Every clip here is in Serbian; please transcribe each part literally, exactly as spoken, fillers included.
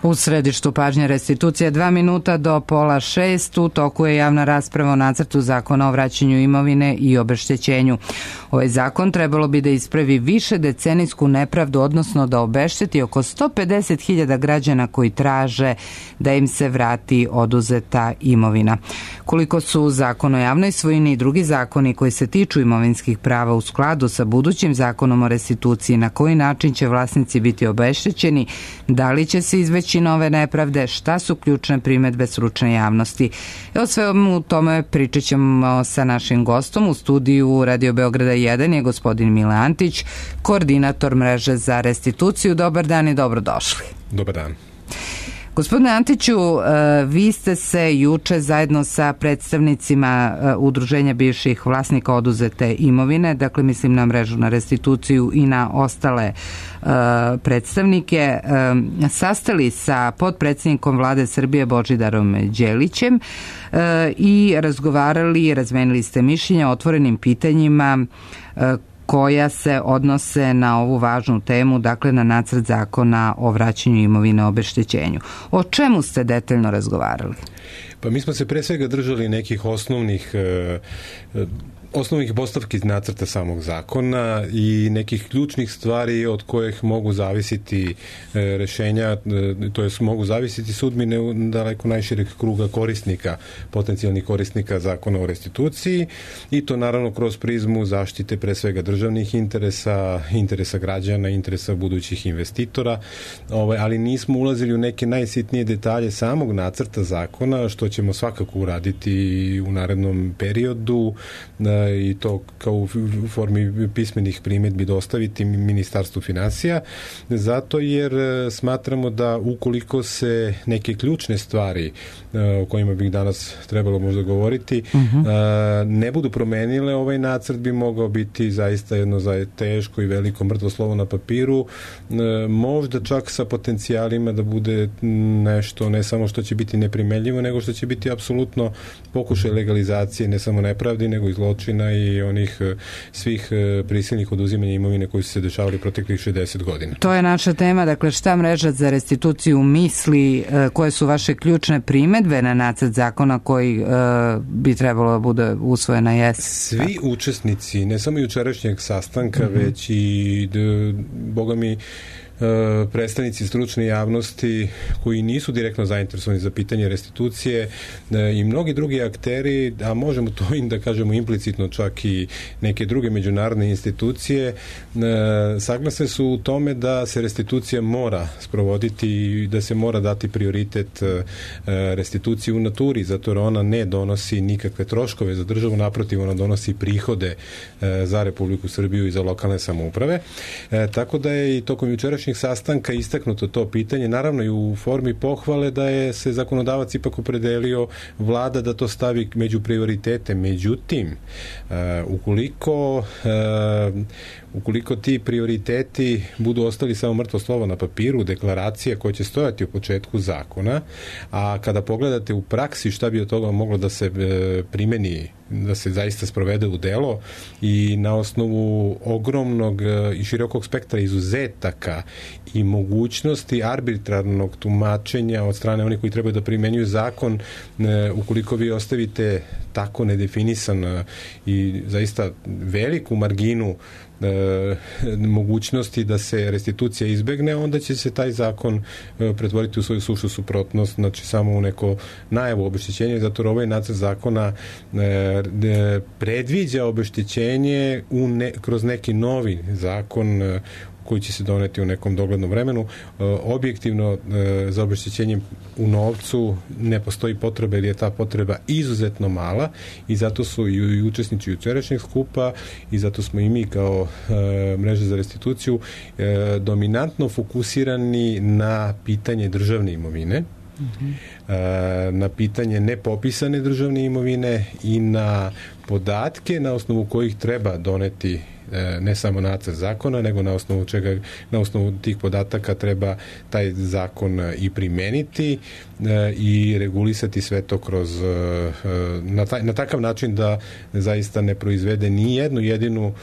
U središtu pažnje restitucije dva minuta do pola šest u toku je javna rasprava o nacrtu zakona o vraćanju imovine i obeštećenju. Ovaj zakon trebalo bi da ispravi više decenijsku nepravdu, odnosno da obešteti oko sto pedeset hiljada građana koji traže da im se vrati oduzeta imovina. Koliko su zakon o javnoj svojini i drugi zakoni koji se tiču imovinskih prava u skladu sa budućim zakonom o restituciji, na koji način će vlasnici biti obeštećeni, da li će se izveći nove nepravde, šta su ključne primedbe stručne javnosti. O svemu tome pričat ćemo sa našim gostom. U studiju Radio Beograda jedan je gospodin Mile Antić, koordinator mreže za restituciju. Dobar dan i dobrodošli. Dobar dan. Gospodine Antiću, vi ste se juče zajedno sa predstavnicima Udruženja bivših vlasnika oduzete imovine, dakle mislim na mrežu na restituciju i na ostale predstavnike, sastali sa potpredsjednikom Vlade Srbije Božidarom Đelićem i razgovarali i razmenili ste mišljenja o otvorenim pitanjima koja se odnose na ovu važnu temu, dakle na nacrt zakona o vraćanju imovine, obeštećenju. O čemu ste detaljno razgovarali? Pa mi smo se pre svega držali nekih osnovnih osnovnih postavki iz nacrta samog zakona i nekih ključnih stvari od kojih mogu zavisiti rešenja, to jest mogu zavisiti sudbine u daleko najšireg kruga korisnika, potencijalnih korisnika zakona o restituciji, i to naravno kroz prizmu zaštite pre svega državnih interesa, interesa građana, interesa budućih investitora, ali nismo ulazili u neke najsitnije detalje samog nacrta zakona, što ćemo svakako uraditi u narednom periodu, i to kao u formi pismenih primedbi dostaviti Ministarstvu finansija, zato jer smatramo da ukoliko se neke ključne stvari o kojima bih danas trebalo možda govoriti, uh-huh. ne budu promenile, ovaj nacrt bi mogao biti zaista jedno za teško i veliko mrtvo slovo na papiru, možda čak sa potencijalima da bude nešto ne samo što će biti neprimenljivo, nego što će biti apsolutno pokušaj legalizacije ne samo nepravdi, nego i zločina i onih svih prisilnih oduzimanja imovine koji su se dešavali proteklih šezdeset godina. To je naša tema, dakle šta mreža za restituciju misli, koje su vaše ključne primedbe na nacrt zakona koji uh, bi trebalo da bude usvojen na jesen? Svi tako. Učesnici, ne samo jučerašnjeg sastanka, mm-hmm. već i d, boga mi predstavnici stručne javnosti koji nisu direktno zainteresovani za pitanje restitucije i mnogi drugi akteri, a možemo to i da kažemo implicitno čak i neke druge međunarodne institucije, saglasne su u tome da se restitucija mora sprovoditi i da se mora dati prioritet restituciji u naturi, zato jer ona ne donosi nikakve troškove za državu, naprotiv, ona donosi prihode za Republiku Srbiju i za lokalne samouprave. Tako da je i tokom jučerašnjeg sastanka istaknuto to pitanje, naravno i u formi pohvale da je se zakonodavac ipak opredelio, Vlada da to stavi među prioritete. Međutim, uh, ukoliko uh, ukoliko ti prioriteti budu ostali samo mrtvo slovo na papiru, deklaracija koja će stojati u početku zakona, a kada pogledate u praksi šta bi od toga moglo da se e, primeni, da se zaista sprovede u delo, i na osnovu ogromnog e, i širokog spektra izuzetaka i mogućnosti arbitrarnog tumačenja od strane onih koji trebaju da primenjuju zakon, e, ukoliko vi ostavite tako nedefinisan e, i zaista veliku marginu E, mogućnosti da se restitucija izbegne, onda će se taj zakon e, pretvoriti u svoju sušu suprotnost, znači samo u neko najavu obeštećenja, zato ovaj nacrt zakona e, e, predviđa obeštećenje u ne, kroz neki novi zakon e, koji će se doneti u nekom doglednom vremenu. Objektivno za obeštećenjem u novcu ne postoji potreba, ili je ta potreba izuzetno mala, i zato su i učesnici jučerašnjeg skupa i zato smo i mi kao mreža za restituciju dominantno fokusirani na pitanje državne imovine, mm-hmm. na pitanje nepopisane državne imovine i na podatke na osnovu kojih treba doneti ne samo nacrt zakona, nego na osnovu čega, na osnovu tih podataka treba taj zakon i primeniti i regulisati sve to kroz na, taj, na takav način da zaista ne proizvede ni jednu jedinu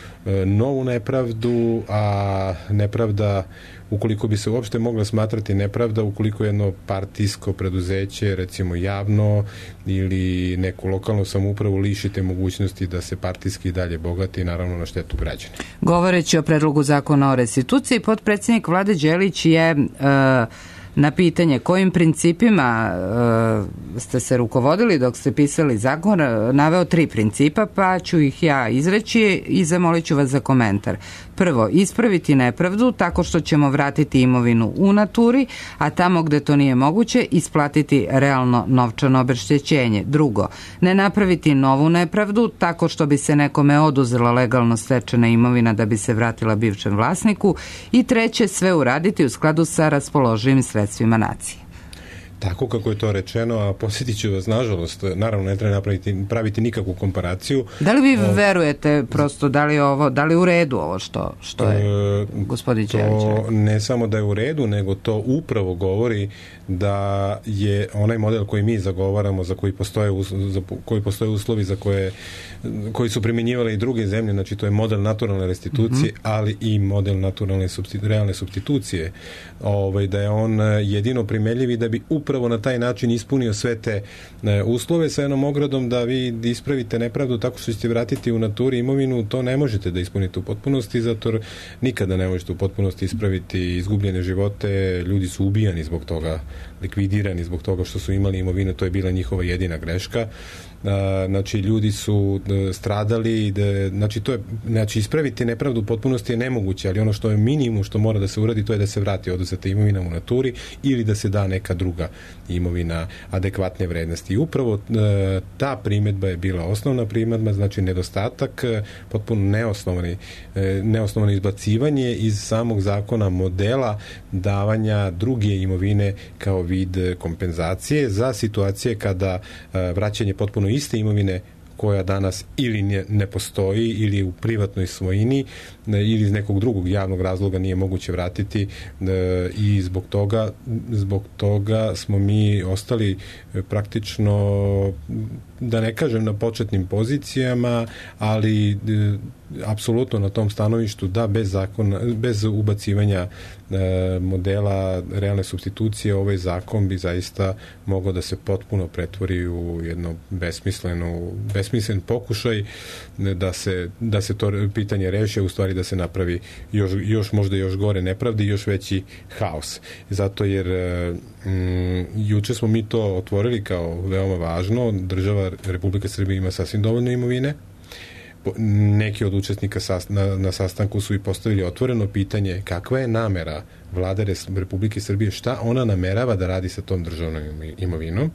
novu nepravdu, a nepravda ukoliko bi se uopšte mogla smatrati nepravda, ukoliko jedno partijsko preduzeće, recimo javno ili neku lokalnu samoupravu lišite mogućnosti da se partijski dalje bogati, naravno na štetu građana. Govoreći o predlogu zakona o restituciji, potpredsjednik Vlade Đelić je uh, na pitanje kojim principima uh, ste se rukovodili dok ste pisali zakon, naveo tri principa, pa ću ih ja izreći i zamolit ću vas za komentar. Prvo, ispraviti nepravdu tako što ćemo vratiti imovinu u naturi, a tamo gde to nije moguće, isplatiti realno novčano obeštećenje. Drugo, ne napraviti novu nepravdu tako što bi se nekome oduzela legalno stečena imovina da bi se vratila bivšem vlasniku. I treće, sve uraditi u skladu sa raspoloživim sredstvima nacije. Tako kako je to rečeno, a posjetit ću vas, nažalost, naravno ne treba napraviti, praviti nikakvu komparaciju. Da li vi o... verujete prosto, da li, ovo, da li u redu ovo što, što je e, gospodin Đelić? To ne samo da je u redu, nego to upravo govori da je onaj model koji mi zagovaramo, za koji postoje, za koji postoje uslovi za koje, koji su primjenjivale i druge zemlje, znači to je model naturalne restitucije, mm-hmm. ali i model naturalne substitu, realne supstitucije, ovaj, da je on jedino primeljiv i da bi upravo na taj način ispunio sve te e, uslove sa jednom ogradom da vi ispravite nepravdu tako što ćete vratiti u naturi imovinu, to ne možete da ispunite u potpunosti, zato nikada ne možete u potpunosti ispraviti izgubljene živote, ljudi su ubijani zbog toga, likvidirani zbog toga što su imali imovinu, to je bila njihova jedina greška. Znači ljudi su stradali, da, znači to je, znači ispraviti nepravdu u potpunosti je nemoguće, ali ono što je minimum što mora da se uradi, to je da se vrati oduzeta imovina u naturi ili da se da neka druga imovina adekvatne vrednosti. I upravo ta primedba je bila osnovna primedba, znači nedostatak, potpuno neosnovani, neosnovano izbacivanje iz samog zakona modela davanja druge imovine kao vid kompenzacije za situacije kada vraćanje potpuno iste imovine koja danas ili ne, ne postoji ili u privatnoj svojini ili iz nekog drugog javnog razloga nije moguće vratiti e, i zbog toga, zbog toga smo mi ostali praktično, da ne kažem na početnim pozicijama, ali e, apsolutno na tom stanovištu da bez zakona, bez ubacivanja e, modela realne supstitucije ovaj zakon bi zaista mogao da se potpuno pretvori u jedno besmisleno, besmislen pokušaj da se, da se to pitanje reši, u stvari da se napravi još, još možda još gore nepravdi i još veći haos. Zato jer mm, juče smo mi to otvorili kao veoma važno. Država Republike Srbije ima sasvim dovoljno imovine. Neki od učesnika na, na sastanku su i postavili otvoreno pitanje kakva je namera Vlade Republike Srbije, šta ona namerava da radi sa tom državnom imovinom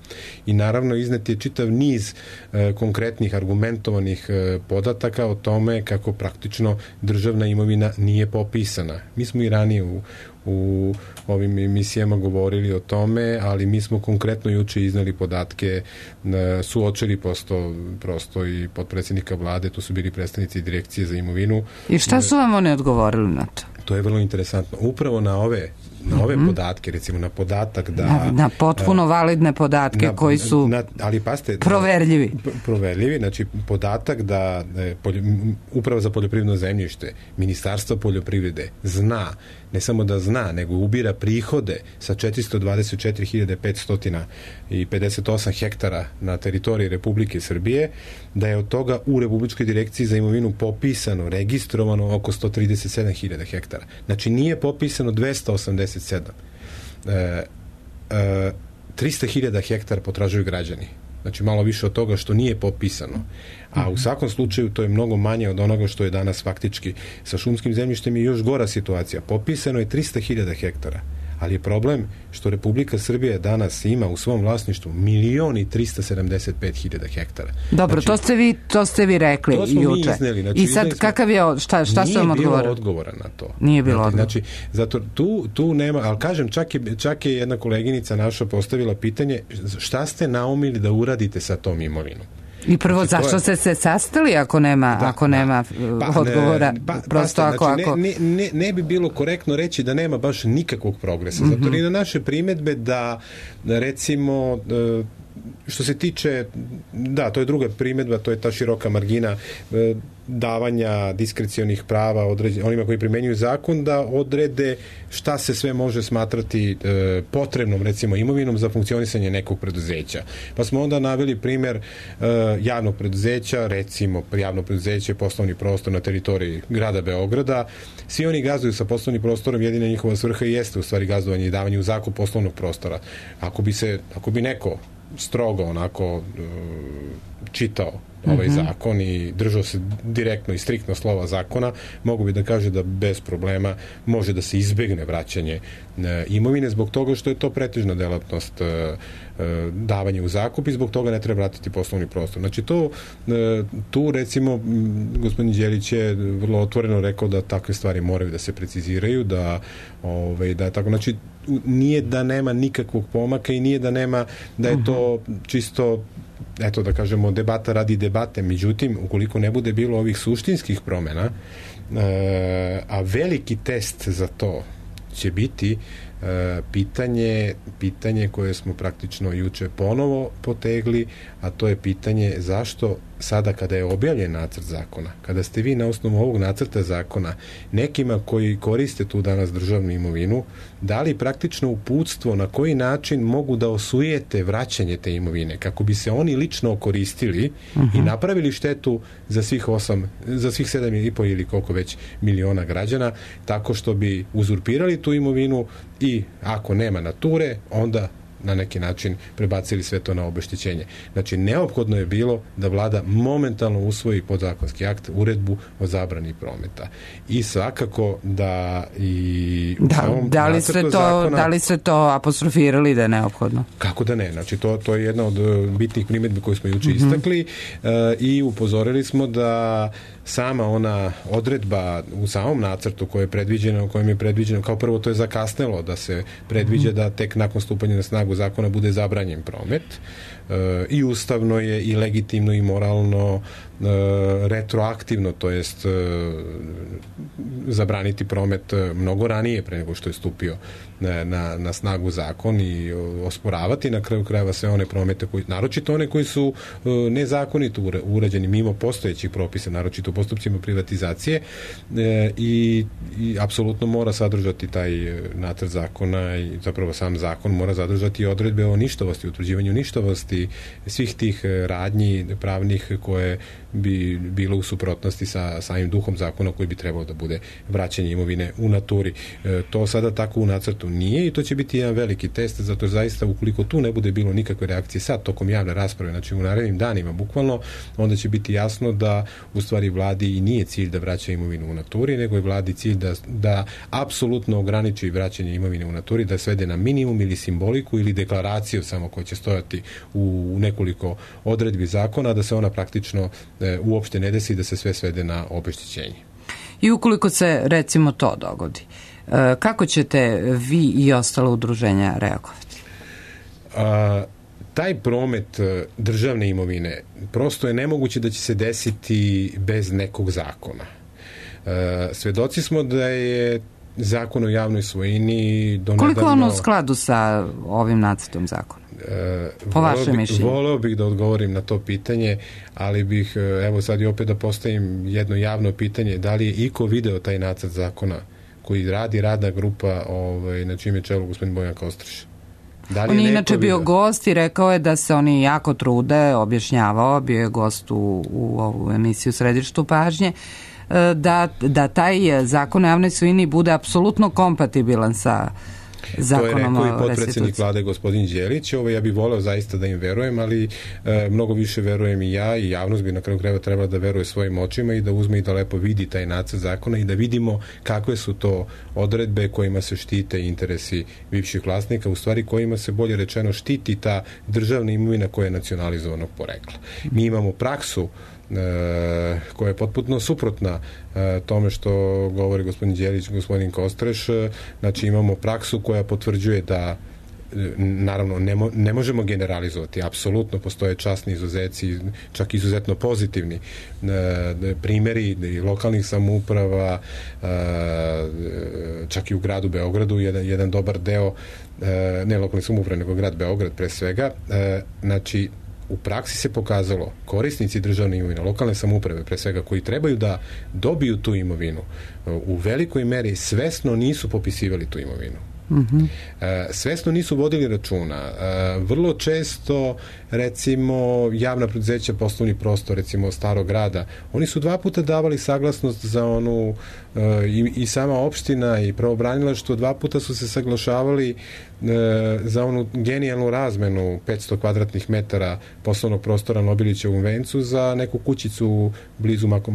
i naravno iznet je čitav niz e, konkretnih argumentovanih e, podataka o tome kako praktično državna imovina nije popisana. Mi smo i ranije u, u ovim emisijama govorili o tome, ali mi smo konkretno juče iznali podatke, e, suočili prosto, prosto i potpredsjednika Vlade, tu su bili predstavnici direkcije za imovinu. I šta su vam oni odgovorili na to? To je vrlo interesantno. Upravo na ove na ove mm-hmm. podatke, recimo na podatak da... Na, na potpuno a, validne podatke na, koji su na, ali paste, proverljivi. Proverljivi, znači podatak da poljo, Uprava za poljoprivredno zemljište, Ministarstvo poljoprivrede zna, ne samo da zna, nego ubira prihode sa četiristo dvadeset četiri hiljade petsto pedeset osam hektara na teritoriji Republike Srbije, da je od toga u Republičkoj direkciji za imovinu popisano, registrovano oko sto trideset sedam hiljada hektara. Znači nije popisano dvesta osamdeset sedam. E, e, trista hiljada hektara potražuju građani. Znači malo više od toga što nije popisano. A u svakom slučaju to je mnogo manje od onoga što je danas faktički sa šumskim zemljištem i još gora situacija. Popisano je trista hiljada hektara. Ali je problem što Republika Srbija danas ima u svom vlasništvu milion i trista sedamdeset pet hiljada hektara. Dobro, znači, to ste vi to ste vi rekli to smo juče. Mi izneli, znači, I sad kakav je šta šta su vam odgovorili? Nije bilo odgovora na to. Nije bilo odgovora. Znači, zato tu tu nema, al kažem čak je čak je jedna koleginica naša postavila pitanje šta ste naumili da uradite sa tom imovinom. I prvo, znači, zašto ste se sastali ako nema, da, ako nema da. Pa, odgovora? Pa, prosto pa, ako, znači, ako... Ne, ne, ne bi bilo korektno reći da nema baš nikakvog progresa. Mm-hmm. Zato i na naše primedbe da, recimo, što se tiče, da, to je druga primjedba, to je ta široka margina davanja diskrecionih prava određen, onima koji primenjuju zakon da odrede šta se sve može smatrati e, potrebnom, recimo, imovinom za funkcionisanje nekog preduzeća. Pa smo onda naveli primjer e, javnog preduzeća, recimo javno preduzeće, poslovni prostor na teritoriji grada Beograda. Svi oni gazduju sa poslovnim prostorom, jedina njihova svrha jeste u stvari gazdovanje i davanje u zakup poslovnog prostora. Ako bi se, ako bi neko strogo onako e, čitao ovaj mm-hmm. zakon i držao se direktno i striktno slova zakona, mogu bi da kaže da bez problema može da se izbegne vraćanje e, imovine zbog toga što je to pretežna delatnost e, e, davanje u zakup i zbog toga ne treba vratiti poslovni prostor. Znači to, e, tu recimo gospodin Đelić je vrlo otvoreno rekao da takve stvari moraju da se preciziraju, da, ovaj, da je tako, znači nije da nema nikakvog pomaka i nije da nema, da je to čisto, eto da kažemo, debata radi debate. Međutim, ukoliko ne bude bilo ovih suštinskih promjena, e, a veliki test za to će biti e, pitanje, pitanje koje smo praktično juče ponovo potegli, a to je pitanje zašto sada kada je objavljen nacrt zakona, kada ste vi na osnovu ovog nacrta zakona nekima koji koriste tu danas državnu imovinu dali praktično uputstvo na koji način mogu da osujete vraćanje te imovine, kako bi se oni lično koristili uh-huh. i napravili štetu za svih osam, za svih sedam i po ili koliko već miliona građana, tako što bi uzurpirali tu imovinu i ako nema nature, onda na neki način prebacili sve to na obeštećenje. Znači, neophodno je bilo da vlada momentalno usvoji podzakonski akt, uredbu o zabrani prometa. I svakako da i da, da li ste to zakona, da li ste to apostrofirali da je neophodno? Kako da ne? Znači, to, to je jedna od bitnih primjedbi koju smo juče mm-hmm. istakli uh, i upozorili smo da sama ona odredba u samom nacrtu koje je predviđeno, kojem je predviđeno, kao prvo to je zakasnelo da se predviđa da tek nakon stupanja na snagu zakona bude zabranjen promet e, i ustavno je i legitimno i moralno e, retroaktivno, to jest e, zabraniti promet mnogo ranije pre nego što je stupio na, na, na snagu zakon i osporavati na kraju krajeva sve one promete koji, naročito one koji su e, nezakonito urađeni mimo postojećih propisa, naročito u postupcima privatizacije e, i, i apsolutno mora sadržati taj nacrt zakona i zapravo sam zakon mora zadržati odredbe o ništavosti, utvrđivanju ništavosti svih tih radnji pravnih koje bi bilo u suprotnosti sa samim duhom zakona koji bi trebao da bude vraćanje imovine u naturi. E, to sada tako u nacrtu nije i to će biti jedan veliki test, zato zaista ukoliko tu ne bude bilo nikakve reakcije sad tokom javne rasprave, znači u narednim danima bukvalno, onda će biti jasno da u stvari vladi i nije cilj da vraća imovinu u naturi, nego je vladi cilj da, da apsolutno ograniči vraćanje imovine u naturi, da svede na minimum ili simboliku ili deklaraciju samo koja će stojati u, u nekoliko odredbi zakona, da se ona praktično e, uopšte ne desi, da se sve svede na obeštećenje. I ukoliko se recimo to dogodi, e, kako ćete vi i ostale udruženja reagovati? A, taj promet državne imovine prosto je nemoguće da će se desiti bez nekog zakona. E, svedoci smo da je zakon o javnoj svojini donedavno... Koliko je ono u skladu sa ovim nacrtom zakona? E, po vašem mišljenju? Voleo bih da odgovorim na to pitanje, ali bih, evo sad i opet da postavim jedno javno pitanje, da li je iko video taj nacrt zakona koji radi radna grupa ovaj, na čim je čelu gospodin Bojan Kostreš? Da on je inače bio gost i rekao je da se oni jako trude, objašnjavao, bio je gost u, u ovu emisiju Središtu pažnje, da, da taj zakon o javnoj svojini bude apsolutno kompatibilan sa zakonom o restituciji. To je rekao i potpredsjednik vlade gospodin Đelić. Ovo ja bih voleo zaista da im verujem, ali e, mnogo više verujem i ja i javnost bi na kraju krajeva trebala da veruje svojim očima i da uzme i da lepo vidi taj nacrt zakona i da vidimo kakve su to odredbe kojima se štite interesi bivših vlasnika, u stvari kojima se bolje rečeno štiti ta državna imovina koja je nacionalizovanog porekla. Mi imamo praksu E, koja je potpuno suprotna e, tome što govori gospodin Đelić, gospodin Kostreš. E, znači imamo praksu koja potvrđuje da naravno ne, mo, ne možemo generalizovati, apsolutno postoje časni izuzeci, čak izuzetno pozitivni primjeri lokalnih samouprava, čak i u gradu Beogradu jedan, jedan dobar deo, ne lokalnih samouprava nego grad Beograd pre svega. Znači u praksi se pokazalo korisnici državne imovine, lokalne samouprave pre svega, koji trebaju da dobiju tu imovinu, u velikoj meri svesno nisu popisivali tu imovinu. Mm-hmm. Svesno nisu vodili računa. Vrlo često, recimo, javna preduzeća, poslovni prostor, recimo Starog grada, oni su dva puta davali saglasnost za onu i, i sama opština i pravobranilaštvo, dva puta su se saglašavali za onu genijalnu razmenu petsto kvadratnih metara poslovnog prostora na Obilićevom vencu za neku kućicu blizu mako,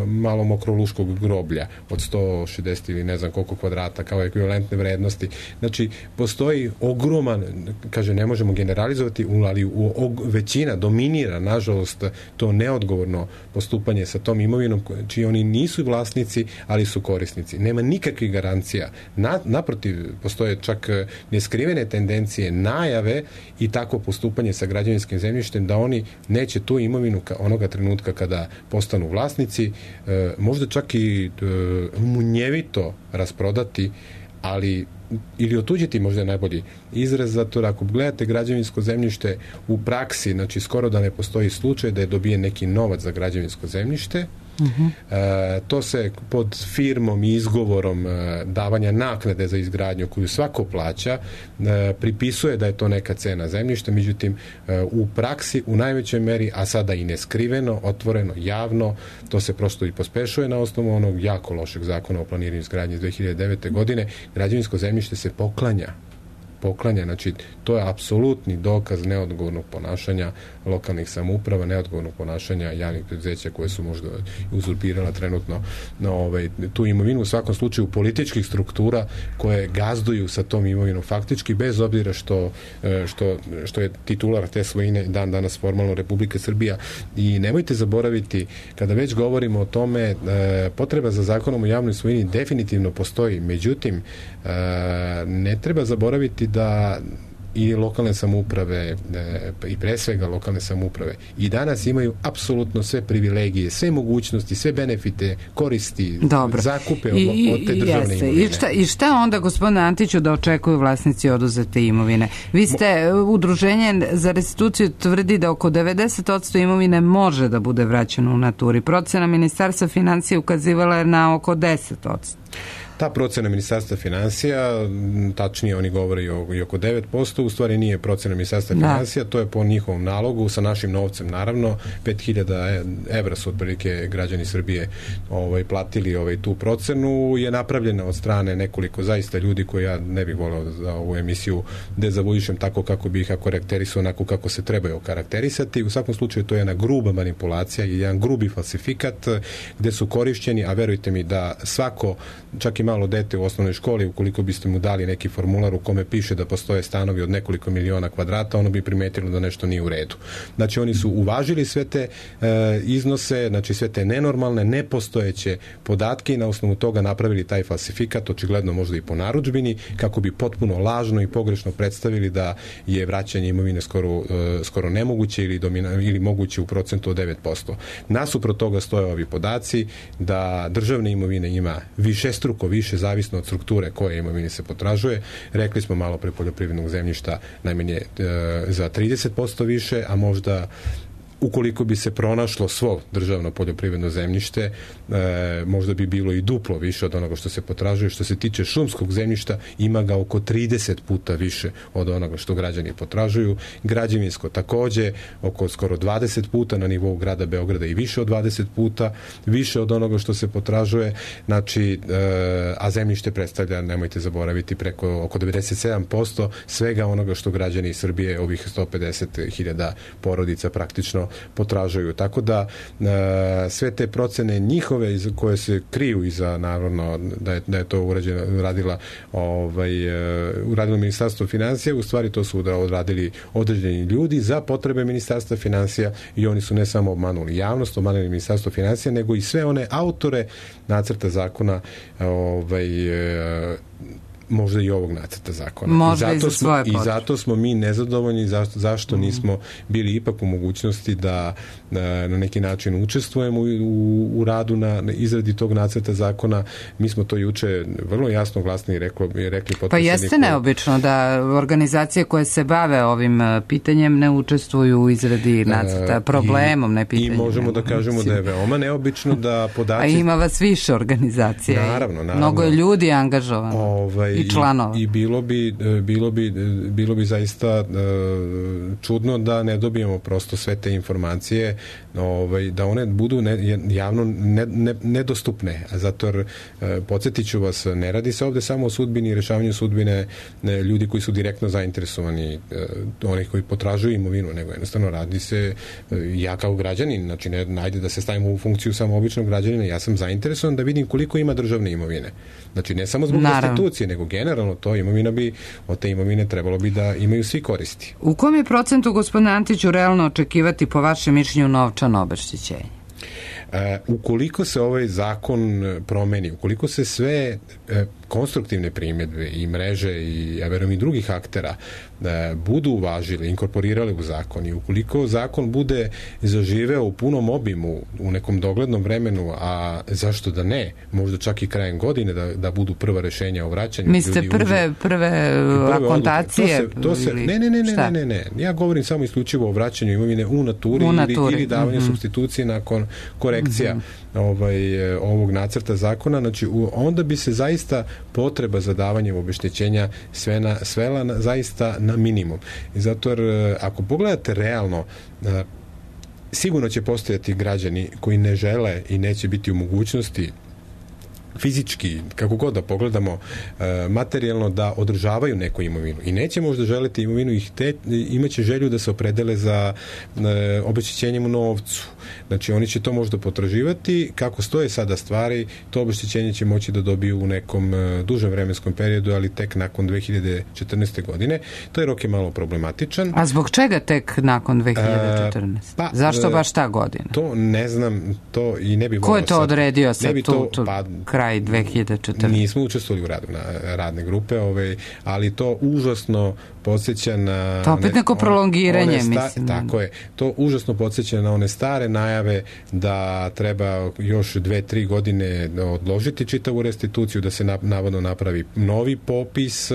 malom okroluškog groblja od sto šezdeset ili ne znam koliko kvadrata kao ekvivalentne vrednosti. Znači, postoji ogroman, kaže, ne možemo generalizovati, ali u, u, većina dominira, nažalost, to neodgovorno postupanje sa tom imovinom, čiji oni nisu vlasnici, ali su korisnici. Nema nikakvih garancija. Na, naprotiv, postoje čak neskrivene tendencije, najave i takvo postupanje sa građevinskim zemljištem da oni neće tu imovinu ka, onoga trenutka kada postanu vlasnici, e, možda čak i e, munjevito rasprodati, ali ili otuđiti, možda je najbolji izraz, zato ako gledate građevinsko zemljište u praksi, znači skoro da ne postoji slučaj da je dobijen neki novac za građevinsko zemljište. Uh-huh. E, to se pod firmom i izgovorom e, davanja naknade za izgradnju koju svako plaća e, pripisuje da je to neka cena zemljišta, međutim e, u praksi u najvećoj meri, a sada i neskriveno, otvoreno, javno, to se prosto i pospešuje na osnovu onog jako lošeg zakona o planiranju izgradnje iz dve hiljade devete. godine, građevinsko zemljište se poklanja poklanja, znači to je apsolutni dokaz neodgovornog ponašanja lokalnih samouprava, neodgovornog ponašanja javnih preduzeća koje su možda uzurpirala trenutno na ovaj, tu imovinu, u svakom slučaju političkih struktura koje gazduju sa tom imovinom faktički, bez obzira što, što, što je titular te svojine dan danas formalno Republika Srbija. I nemojte zaboraviti, kada već govorimo o tome, potreba za zakonom o javnoj svojini definitivno postoji, međutim ne treba zaboraviti da i lokalne samouprave i pre svega lokalne samouprave i danas imaju apsolutno sve privilegije, sve mogućnosti, sve benefite, koristi, Dobro. zakupe od, I, od te državne jeste. imovine. I šta, I šta onda, gospodine Antiću, da očekuju vlasnici oduzete imovine? Vi ste, Mo... udruženje za restituciju tvrdi da oko devedeset posto imovine može da bude vraćeno u naturi. Procena Ministarstva finansija ukazivala je na oko deset posto. Ta procena Ministarstva finansija, tačnije oni govore i oko devet posto, u stvari nije procena Ministarstva da. finansija, to je po njihovom nalogu, sa našim novcem naravno, pet hiljada evra su otprilike građani Srbije ovaj, platili ovaj, tu procenu, je napravljena od strane nekoliko zaista ljudi koji ja ne bih voleo za ovu emisiju dezavuišem tako kako bih ih karakterisao, onako kako se trebaju karakterisati. U svakom slučaju to je jedna gruba manipulacija i jedan grubi falsifikat gde su korišćeni, a verujte mi da svako, čak i malo dete u osnovnoj školi, ukoliko biste mu dali neki formular u kome piše da postoje stanovi od nekoliko miliona kvadrata, ono bi primetilo da nešto nije u redu. Znači, oni su uvažili sve te e, iznose, znači sve te nenormalne, nepostojeće podatke i na osnovu toga napravili taj falsifikat, očigledno možda i po narudžbini, kako bi potpuno lažno i pogrešno predstavili da je vraćanje imovine skoro, e, skoro nemoguće ili, domina, ili moguće u procentu od devet posto. Nasuprot toga stoje ovi podaci da državne imovine ima višestruko više, zavisno od strukture koje imovine se potražuje. Rekli smo malo pre poljoprivrednog zemljišta najmanje e, za trideset posto više, a možda ukoliko bi se pronašlo svo državno poljoprivredno zemljište, e, možda bi bilo i duplo više od onoga što se potražuje. Što se tiče šumskog zemljišta, ima ga oko trideset puta više od onoga što građani potražuju. Građevinsko takođe, oko skoro dvadeset puta na nivou grada Beograda i više od dvadeset puta više od onoga što se potražuje. Znači, e, a zemljište predstavlja, nemojte zaboraviti, preko oko devedeset sedam posto svega onoga što građani Srbije, ovih sto pedeset hiljada porodica praktično potražuju. Tako da e, sve te procene njihove iz, koje se kriju iza, naravno da je, da je to urađeno, uradila ovaj, e, uradilo Ministarstvo finansija, u stvari to su odradili određeni ljudi za potrebe Ministarstva finansija i oni su ne samo obmanuli javnost, obmanuli Ministarstvo finansija, nego i sve one autore nacrta zakona ovaj, e, možda i ovog nacrta zakona. Možda I, zato i za smo, svoje i zato smo mi nezadovoljni zašto, zašto mm. nismo bili ipak u mogućnosti da, da na neki način učestvujemo u, u, u radu na, na izradi tog nacrta zakona. Mi smo to juče vrlo jasno glasno i reklo, rekli Pa jeste neobično da organizacije koje se bave ovim pitanjem ne učestvuju u izradi nacrta, problemom, ne pitanjem. I možemo da kažemo da je veoma neobično da podaci... A ima vas više organizacija. Naravno, naravno. Mnogo je ljudi angažovano ovaj, i članova. I, i bilo, bi, bilo, bi, bilo bi zaista čudno da ne dobijemo prosto sve te informacije, ovaj, da one budu ne, javno ne, ne, nedostupne. Zato jer, podsjetit ću vas, ne radi se ovde samo o sudbini i rešavanju sudbine ljudi koji su direktno zainteresovani, onih koji potražuju imovinu, nego jednostavno radi se, ja kao građanin, znači ne, najde da se stavimo u funkciju samo običnog građanina, ja sam zainteresovan da vidim koliko ima državne imovine. Znači ne samo zbog Naravno. restitucije, nego generalno to imovina bi, od te imovine trebalo bi da imaju svi koristi. U kom je procentu, gospodine Antiću, realno očekivati po vašem mišljenju novčano obeštećenje? E, ukoliko se ovaj zakon promeni, ukoliko se sve e, konstruktivne primjedbe i mreže i, ja verujem, i drugih aktera e, budu uvažili, inkorporirali u zakon i ukoliko zakon bude zaživeo u punom obimu u nekom doglednom vremenu, a zašto da ne, možda čak i krajem godine da, da budu prva rešenja o vraćanju. Mislite prve, uđe, prve, prve akontacije? To se, to se, ne, ne, ne, ne, ne, ne, ne. Ja govorim samo isključivo o vraćanju imovine u naturi, u naturi. Ili, ili davanju mm-hmm. supstitucije nakon korekcija mm-hmm. ovaj, ovog nacrta zakona. Znači, u, onda bi se zaista potreba za davanjem obeštećenja sve na, svela na, zaista na minimum. I zato jer ako pogledate realno, sigurno će postojati građani koji ne žele i neće biti u mogućnosti fizički, kako god da pogledamo, materijalno da održavaju neku imovinu i neće možda želiti imovinu i te, imaće želju da se opredele za obeštećenjem u novcu. Znači, oni će to možda potraživati. Kako stoje sada stvari, to obeštećenje će moći da dobiju u nekom dužem vremenskom periodu, ali tek nakon dve hiljade četrnaeste. godine. To je rok je malo problematičan. A zbog čega tek nakon dve hiljade četrnaeste? Pa, zašto baš ta godina? To ne znam, to i ne bi... Ko je to sad odredio sad tu, to, tu pa, kraj dve hiljade četrnaeste? Nismo učestvovali u radu na radne grupe, ovaj, ali to užasno podsjeća na... To opet neko prolongiranje, sta, mislim. Tako je. To užasno podsjeća na one stare najave da treba još dve, tri godine odložiti čitavu restituciju, da se navodno napravi novi popis,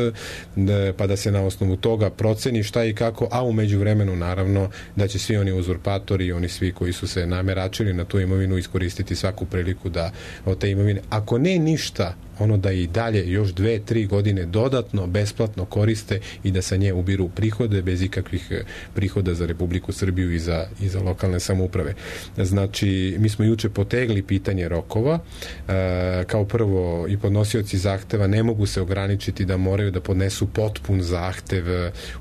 da, pa da se na osnovu toga proceni šta i kako, a u međuvremenu naravno da će svi oni uzurpatori, oni svi koji su se nameračili na tu imovinu iskoristiti svaku priliku da od te imovine, ako ne ništa, ono da i dalje još dve, tri godine dodatno, besplatno koriste i da sa nje ubiru prihode bez ikakvih prihoda za Republiku Srbiju i za, i za lokalne samouprave. Znači, mi smo juče potegli pitanje rokova. E, kao prvo, i podnosioci zahteva ne mogu se ograničiti da moraju da podnesu potpun zahtev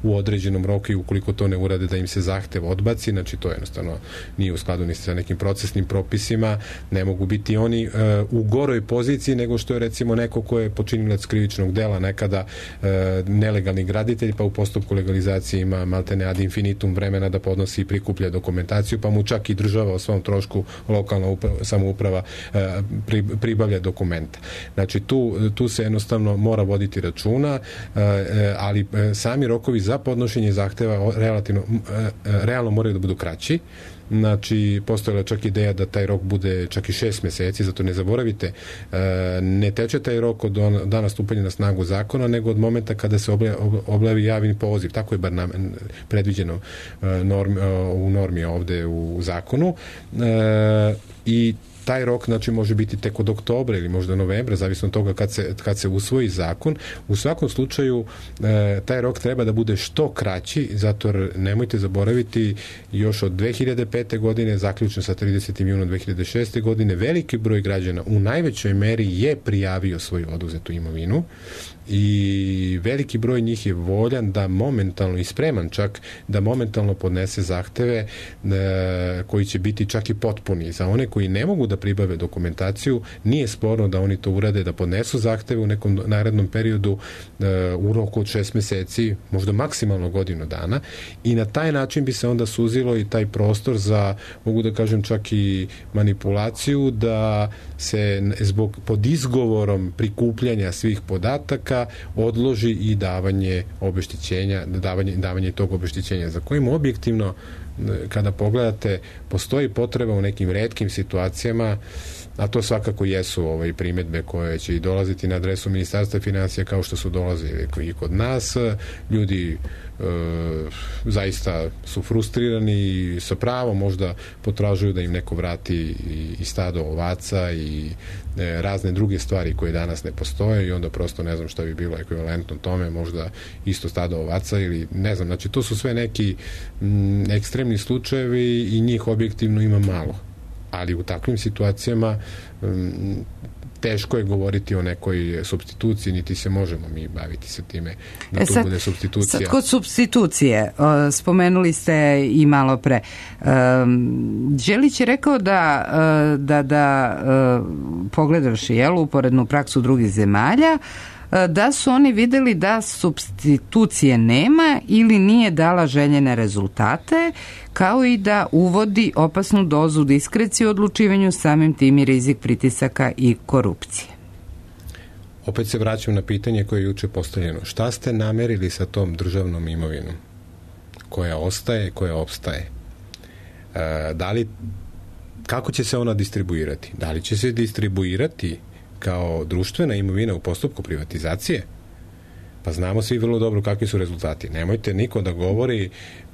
u određenom roku i ukoliko to ne urade da im se zahtev odbaci. Znači, to jednostavno nije u skladu ni sa nekim procesnim propisima. Ne mogu biti oni e, u goroj poziciji nego što je recimo neko ko je počinilac krivičnog dela, nekada e, nelegalni graditelj, pa u postupku legalizacije ima maltene ad infinitum vremena da podnosi i prikuplja dokumentaciju, pa mu čak i država o svom trošku, lokalna uprava, samouprava e, pri, pribavlja dokumenta. Znači tu, tu se jednostavno mora voditi računa, e, ali e, sami rokovi za podnošenje zahteva relativno, e, realno moraju da budu kraći. Znači, postojala čak ideja da taj rok bude čak i šest meseci, zato ne zaboravite, ne teče taj rok od dana stupanja na snagu zakona, nego od momenta kada se objavi javni poziv. Tako je bar predviđeno normi, u normi ovde u zakonu. I taj rok, znači, može biti tek od oktobra ili možda novembra, zavisno od toga kad se, kad se usvoji zakon. U svakom slučaju, e, taj rok treba da bude što kraći, zato jer nemojte zaboraviti, još od dve hiljade pete. godine, zaključno sa tridesetim junom dve hiljade šeste. godine, veliki broj građana u najvećoj meri je prijavio svoju oduzetu imovinu i veliki broj njih je voljan da momentalno i spreman čak da momentalno podnese zahteve e, koji će biti čak i potpuni. Za one koji ne mogu da pribave dokumentaciju, nije sporno da oni to urade, da podnesu zahteve u nekom narednom periodu e, u roku od šest meseci, možda maksimalno godinu dana, i na taj način bi se onda suzilo i taj prostor za, mogu da kažem, čak i manipulaciju, da se zbog pod izgovorom prikupljanja svih podataka sastanka odloži i davanje obeštećenja, davanje, davanje tog obeštećenja, za kojim objektivno, kada pogledate, postoji potreba u nekim retkim situacijama, a to svakako jesu ovaj primedbe koje će i dolaziti na adresu Ministarstva finansija, kao što su dolazili i kod nas. Ljudi e, zaista su frustrirani i sa pravom možda potražuju da im neko vrati i, i stado ovaca i e, razne druge stvari koje danas ne postoje, i onda prosto ne znam šta bi bilo ekvivalentno tome, možda isto stado ovaca ili ne znam, znači to su sve neki m, ekstremni slučajevi i njih objektivno ima malo. Ali u takvim situacijama um, teško je govoriti o nekoj supstituciji, niti se možemo mi baviti sa time da e tu sad, bude supstitucija. Sad kod supstitucije, spomenuli ste i malo pre, Đelić je rekao da, da, da pogledavši jel, uporednu praksu drugih zemalja, da su oni videli da supstitucije nema ili nije dala željene rezultate, kao i da uvodi opasnu dozu diskrecije u odlučivanju, samim tim i rizik pritisaka i korupcije. Opet se vraćam na pitanje koje je juče postavljeno. Šta ste namerili sa tom državnom imovinom koja ostaje, koja opstaje? E, da li, kako će se ona distribuirati? Da li će se distribuirati kao društvena imovina u postupku privatizacije? Pa znamo svi vrlo dobro kakvi su rezultati. Nemojte niko da govori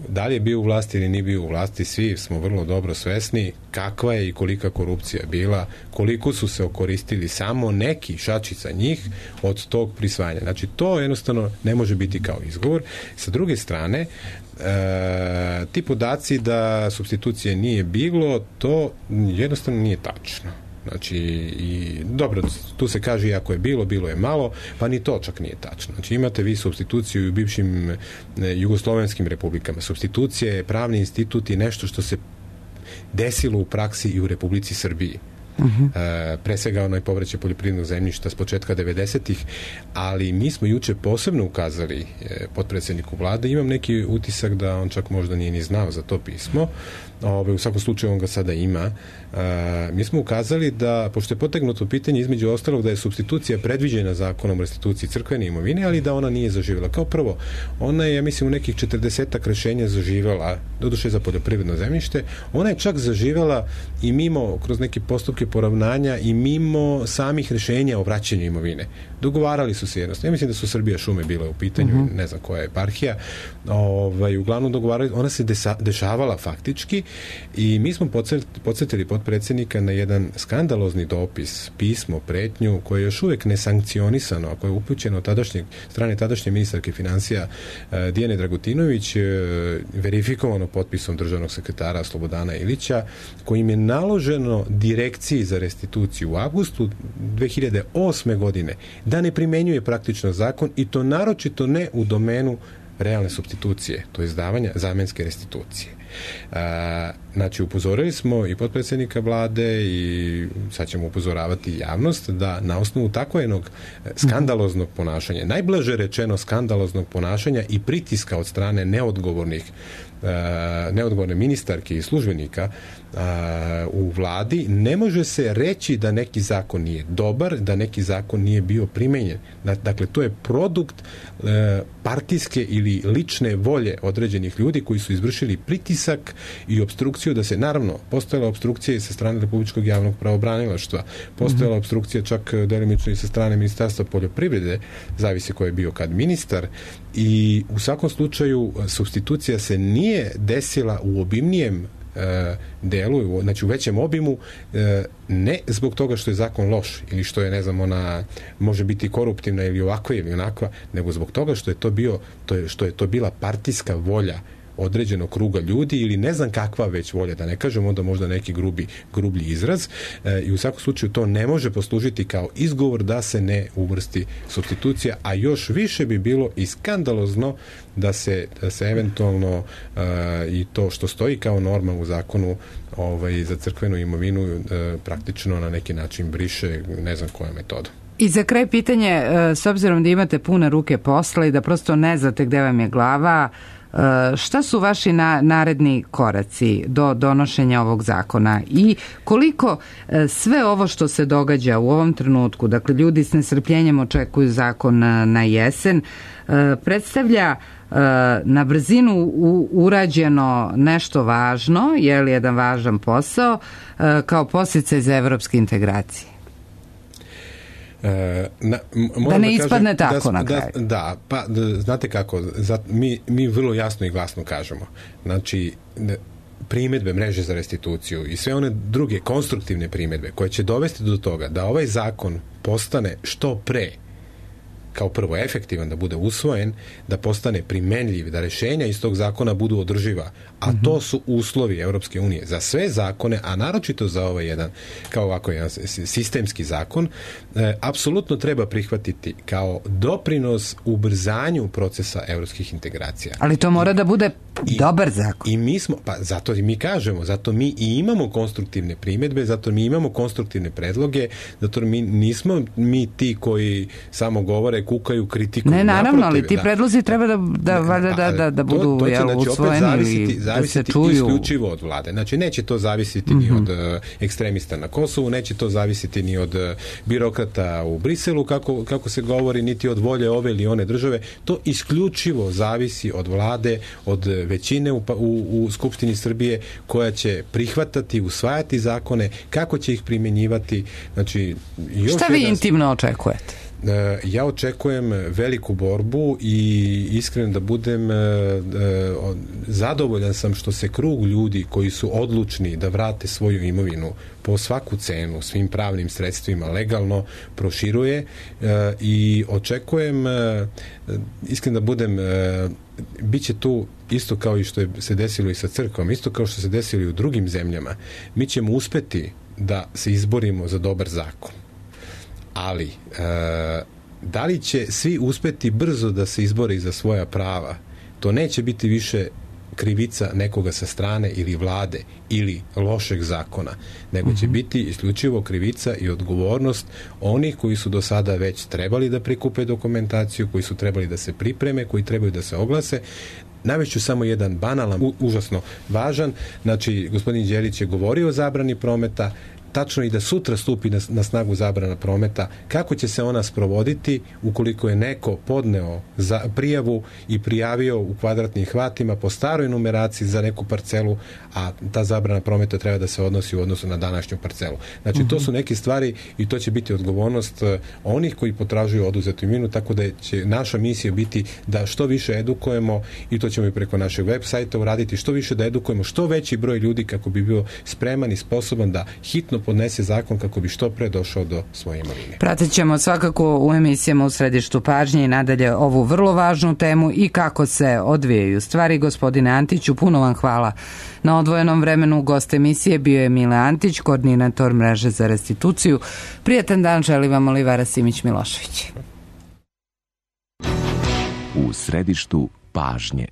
da li je bio u vlasti ili nije bio u vlasti, svi smo vrlo dobro svesni kakva je i kolika korupcija bila, koliko su se okoristili samo neki, šačica njih, od tog prisvajanja. Znači, to jednostavno ne može biti kao izgovor. Sa druge strane, e, ti podaci da supstitucije nije bilo, to jednostavno nije tačno. Znači, i, dobro, tu se kaže i ako je bilo, bilo je malo, pa ni to čak nije tačno. Znači, imate vi supstituciju u bivšim e, jugoslovenskim republikama. Supstitucija je pravni institut i nešto što se desilo u praksi i u Republici Srbiji. Uh-huh. E, pre svega ono je povraćaj poljoprivrednog zemljišta s početka devedesetih, ali mi smo juče posebno ukazali e, potpredsjedniku vlade, imam neki utisak da on čak možda nije ni znao za to pismo. Ove, u svakom slučaju on ga sada ima. E, mi smo ukazali da, pošto je potegnuto pitanje između ostalog da je supstitucija predviđena zakonom o restituciji crkvene imovine, ali da ona nije zaživjela. Kao prvo, ona je, ja mislim, u nekih četrdesetak rešenja zaživjela, doduše za poljoprivredno zemljište, ona je čak zaživjela i mimo, kroz neke postupke poravnanja i mimo samih rešenja o vraćanju imovine. Dogovarali su se jednostavno. Ja mislim da su Srbija šume bile u pitanju, uh-huh. ne znam koja je eparhija. Ovaj, uglavnom dogovarali, ona se desa, dešavala faktički i mi smo podsjetili potpredsjednika na jedan skandalozni dopis, pismo, pretnju, koje je još uvek nesankcionisano, a koje je upućeno od tadašnjeg, strane tadašnje ministarke financija eh, Dijane Dragutinović, eh, verifikovano potpisom državnog sekretara Slobodana Ilića, kojim je naloženo direkciji za restituciju u avgustu dve hiljade osme godine da ne primenjuje praktično zakon, i to naročito ne u domenu realne supstitucije, to je izdavanja zamenske restitucije. A, znači, upozorili smo i potpredsjednika vlade i sad ćemo upozoravati javnost da na osnovu takvog jednog skandaloznog ponašanja, najblaže rečeno skandaloznog ponašanja i pritiska od strane neodgovornih neodgovorne ministarke i službenika u vladi, ne može se reći da neki zakon nije dobar, da neki zakon nije bio primenjen. Dakle, to je produkt partijske ili lične volje određenih ljudi koji su izvršili pritisak i opstrukciju da se, naravno, postojala opstrukcija i sa strane Republičkog javnog pravobranilaštva, postojala mm-hmm. opstrukcija čak delimično i sa strane Ministarstva poljoprivrede, zavisi ko je bio kad ministar, i u svakom slučaju supstitucija se nije desila u obimnijem e, delu, znači u većem obimu, e, ne zbog toga što je zakon loš ili što je, ne znam, ona može biti koruptivna ili ovakva ili onakva, nego zbog toga što je to bio, to je, što je to bila partijska volja određenog kruga ljudi ili ne znam kakva već volja, da ne kažem onda možda neki grubi, grublji izraz, e, i u svakom slučaju to ne može poslužiti kao izgovor da se ne uvrsti supstitucija, a još više bi bilo i skandalozno da se, da se eventualno e, i to što stoji kao norma u zakonu ovaj, za crkvenu imovinu e, praktično na neki način briše, ne znam koja metoda. I za kraj pitanje, s obzirom da imate pune ruke posla i da prosto ne znate gde vam je glava, šta su vaši na, naredni koraci do donošenja ovog zakona i koliko sve ovo što se događa u ovom trenutku, dakle ljudi s nestrpljenjem očekuju zakon na jesen, predstavlja na brzinu urađeno nešto važno, je li jedan važan posao, kao podsticaj za evropske integracije? E, na, da ne da ispadne kažem, tako da, na kraju. Da, da, pa da, znate kako, za, mi, mi vrlo jasno i glasno kažemo. Znači, primedbe mreže za restituciju i sve one druge konstruktivne primedbe koje će dovesti do toga da ovaj zakon postane što pre, kao prvo efektivan, da bude usvojen, da postane primenljiv, da rešenja iz tog zakona budu održiva, a to su uslovi Evropske unije za sve zakone, a naročito za ovaj jedan, kao ovako jedan sistemski zakon, e, apsolutno treba prihvatiti kao doprinos ubrzanju procesa evropskih integracija. Ali to mora da bude I, dobar zakon. I mi smo, pa zato i mi kažemo, zato mi i imamo konstruktivne primedbe, zato mi imamo konstruktivne predloge, zato mi nismo mi ti koji samo govore, kukaju, kritikuju. Ne, naravno, ali ti da, predlozi treba da, da, ne, da, da, da budu to, to će, jel, znači, usvojeni zavisiti, ili zavisiti da se čuju. Isključivo od vlade. Znači, neće to zavisiti mm-hmm. ni od uh, ekstremista na Kosovu, neće to zavisiti ni od uh, birokrata u Briselu, kako, kako se govori, niti od volje ove ili one države. To isključivo zavisi od vlade, od većine u, u, u Skupštini Srbije, koja će prihvatati, usvajati zakone, kako će ih primjenjivati. Znači, još šta vi intimno očekujete? Ja očekujem veliku borbu i iskreno da budem zadovoljan sam što se krug ljudi koji su odlučni da vrate svoju imovinu po svaku cenu, svim pravnim sredstvima legalno proširuje i očekujem, iskreno da budem, bit će tu isto kao i što je se desilo i sa crkvom, isto kao što se desilo i u drugim zemljama. Mi ćemo uspeti da se izborimo za dobar zakon. Ali, e, da li će svi uspeti brzo da se izbore za svoja prava? To neće biti više krivica nekoga sa strane ili vlade ili lošeg zakona, nego će biti isključivo krivica i odgovornost onih koji su do sada već trebali da prikupe dokumentaciju, koji su trebali da se pripreme, koji trebaju da se oglase. Navešću samo jedan banalan, u, užasno važan. Znači, gospodin Đelić je govorio o zabrani prometa, tačno i da sutra stupi na, na snagu zabrana prometa, kako će se ona sprovoditi ukoliko je neko podneo za prijavu i prijavio u kvadratnim hvatima po staroj numeraciji za neku parcelu, a ta zabrana prometa treba da se odnosi u odnosu na današnju parcelu. Znači, mm-hmm. to su neke stvari i to će biti odgovornost onih koji potražuju oduzetu imovinu, tako da će naša misija biti da što više edukujemo, i to ćemo i preko našeg web sajta uraditi, što više da edukujemo što veći broj ljudi kako bi bio spreman i sposoban da hitno podnese zakon kako bi što pre došao do svoje imovine. Pratit ćemo svakako u emisijama u središtu pažnje i nadalje ovu vrlo važnu temu i kako se odvijaju stvari. Gospodine Antiću, puno vam hvala na odvojenom vremenu. Gost emisije bio je Mile Antić, koordinator mreže za restituciju. Prijatan dan želi vam Olivera Simić-Milošević. U središtu pažnje.